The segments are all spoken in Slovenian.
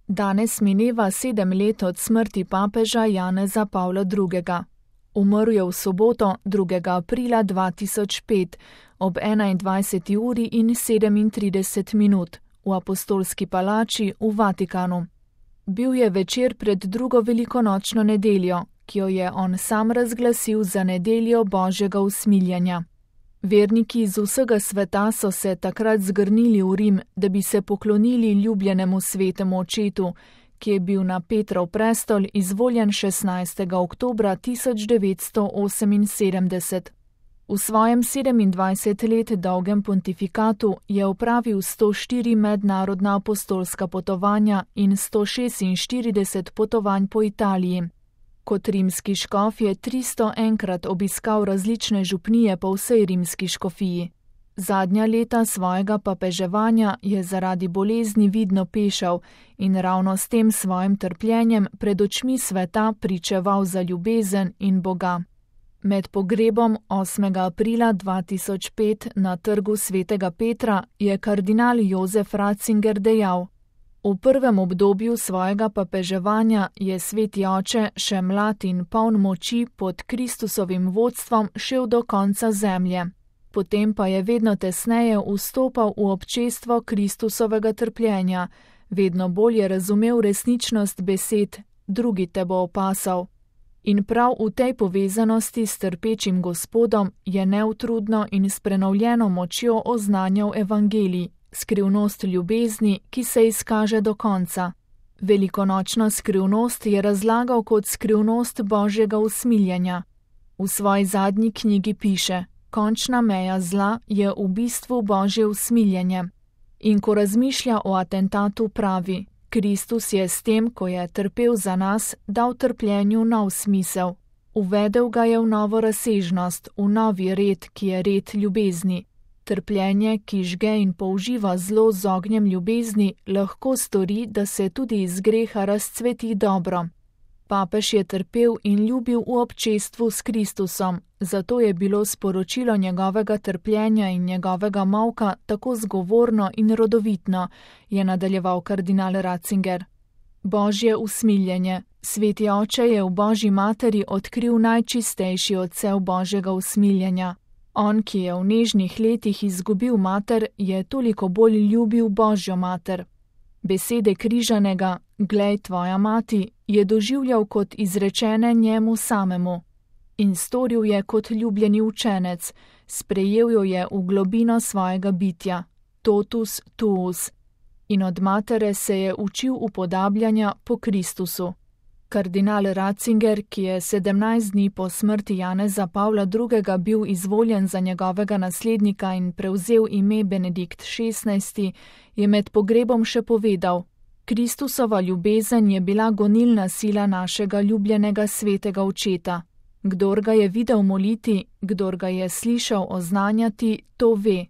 Danes mineva 7 let od smrti papeža Janeza Pavla II. Umrl je v soboto, 2. aprila 2005, ob 21. uri in 37 minut v Apostolski palači v Vatikanu. Bil je večer pred drugo velikonočno nedeljo, ki jo je on sam razglasil za nedeljo Božjega usmiljenja. Verniki iz vsega sveta so se takrat zgrnili v Rim, da bi se poklonili ljubljenemu svetemu očetu, ki je bil na Petrov prestol izvoljen 16. oktobra 1978. V svojem 27 let dolgem pontifikatu je opravil 104 mednarodna apostolska potovanja in 146 potovanj po Italiji. Kot rimski škof je 301krat obiskal različne župnije po vsej rimski škofiji. Zadnja leta svojega papeževanja je zaradi bolezni vidno pešal in ravno s tem svojim trpljenjem pred očmi sveta pričeval za ljubezen in Boga. Med pogrebom 8. aprila 2005 na trgu svetega Petra je kardinal Jozef Ratzinger dejal: V prvem obdobju svojega papeževanja je sveti oče še mlad in poln moči pod Kristusovim vodstvom šel do konca zemlje. Potem pa je vedno tesneje vstopal v občestvo Kristusovega trpljenja, vedno bolje razumel resničnost besed: drugi te bo opasal. In prav v tej povezanosti s trpečim Gospodom je neutrudno in s prenovljeno močjo oznanjal evangelij, skrivnost ljubezni, ki se izkaže do konca. Velikonočno skrivnost je razlagal kot skrivnost Božjega usmiljenja. V svoji zadnji knjigi piše: končna meja zla je v bistvu Božje usmiljenje. In ko razmišlja o atentatu, pravi: Kristus je s tem, ko je trpel za nas, dal trpljenju nov smisel. Uvedel ga je v novo razsežnost, v novi red, ki je red ljubezni. Trpljenje, ki žge in použiva zlo z ognjem ljubezni, lahko stori, da se tudi iz greha razcveti dobro. Papež je trpel in ljubil v občestvu s Kristusom, zato je bilo sporočilo njegovega trpljenja in njegovega molka tako zgovorno in rodovitno, je nadaljeval kardinal Ratzinger. Božje usmiljenje. Sveti oče je v Božji materi odkril najčistejši odsev Božjega usmiljenja. On, ki je v nežnih letih izgubil mater, je toliko bolj ljubil Božjo mater. Besede križanega, glej tvoja mati, je doživljal kot izrečene njemu samemu. In storil je kot ljubljeni učenec, sprejel jo je v globino svojega bitja, totus tuus. In od matere se je učil upodabljanja po Kristusu. Kardinal Ratzinger, ki je 17 dni po smrti Janeza Pavla II. Bil izvoljen za njegovega naslednika in prevzel ime Benedikt XVI., je med pogrebom še povedal: Kristusova ljubezen je bila gonilna sila našega ljubljenega svetega očeta. Kdor ga je videl moliti, kdor ga je slišal oznanjati, to ve.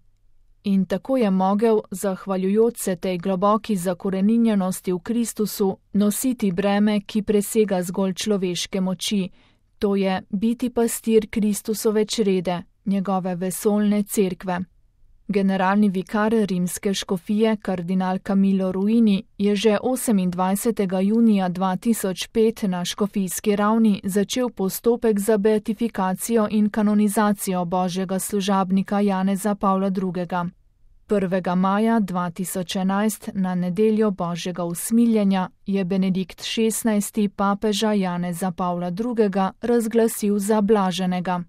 In tako je mogel, zahvaljujoč se tej globoki zakoreninjenosti v Kristusu, nositi breme, ki presega zgolj človeške moči, to je biti pastir Kristusove črede, njegove vesoljne cerkve. Generalni vikar rimske škofije, kardinal Camillo Ruini, je že 28. junija 2005 na škofijski ravni začel postopek za beatifikacijo in kanonizacijo Božjega služabnika Janeza Pavla II. 1. maja 2011 na nedeljo Božjega usmiljenja je Benedikt XVI. Papeža Janeza Pavla II. Razglasil za blaženega.